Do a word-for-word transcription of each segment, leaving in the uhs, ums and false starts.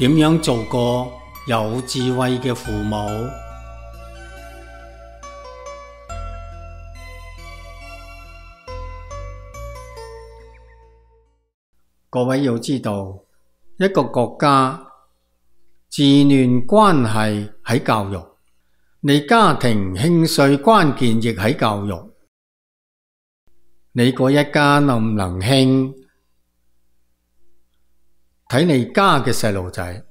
點樣做個有智慧嘅父母？各位要知道，一個國家治亂關係喺教育，你家庭興衰關鍵亦喺教育。你嗰一家能唔能興，睇你家嘅細路仔。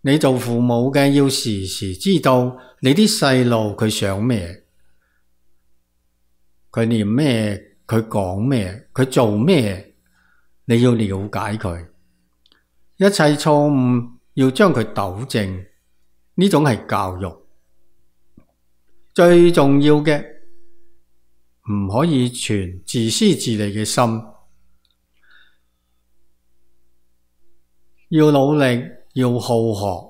你做父母嘅要時時知道你啲細路佢想咩，佢念咩，佢講咩，佢做咩，你要了解佢。一切錯誤要將佢糾正，呢種係教育。最重要嘅，唔可以存自私自利嘅心，要努力，要好學。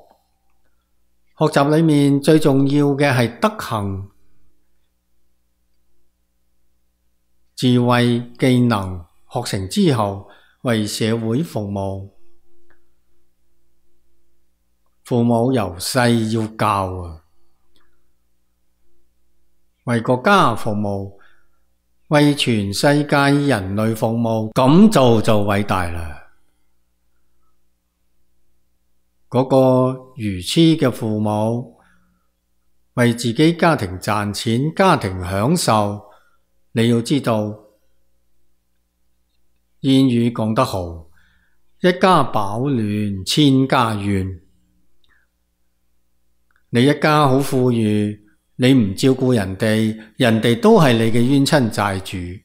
學習裏面最重要嘅係德行、智慧、技能，學成之後為社會服務。父母由細要教啊，為國家服務，為全世界人類服務，咁做就偉大啦。嗰個愚痴嘅父母，為自己家庭賺錢，家庭享受，你要知道，諺語講得好，一家飽暖，千家怨。你一家好富裕，你唔照顧人哋，人哋都係你嘅冤親債主，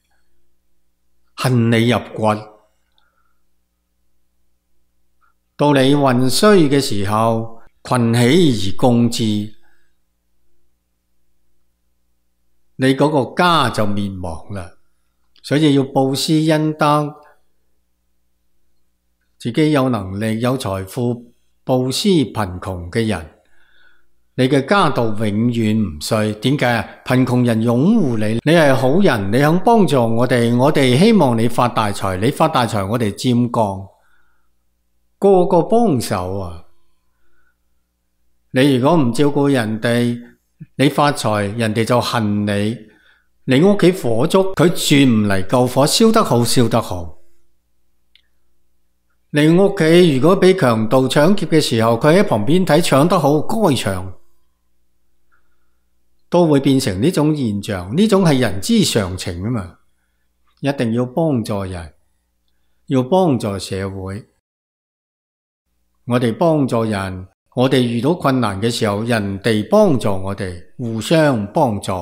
恨你入骨。到你運衰嘅時候，群起而攻之，你嗰個家就滅亡啦。所以要布施恩德，自己有能力有財富布施貧窮嘅人，你嘅家道永遠唔衰。點解啊？貧窮人擁護你，你係好人，你肯幫助我哋，我哋希望你發大財，你發大財我哋沾光，個個幫手啊！你如果唔照顧人哋，你發財，人哋就恨你。你屋企火燭，佢轉唔嚟救火，燒得好燒得好。你屋企如果俾強盜搶劫嘅時候，佢喺旁邊睇，搶得好，該搶，都會變成呢種現象。呢種係人之常情啊嘛！一定要幫助人，要幫助社會。我哋幫助人，我哋遇到困難嘅時候，人哋幫助我哋，互相幫助。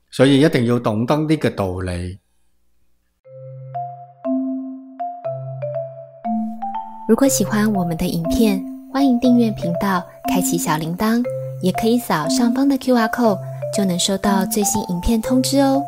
所以一定要懂得呢個道理。如果喜歡我們的影片，歡迎訂閱頻道，開啟小鈴鐺，也可以掃上方的 Q R code，就能收到最新影片通知哦。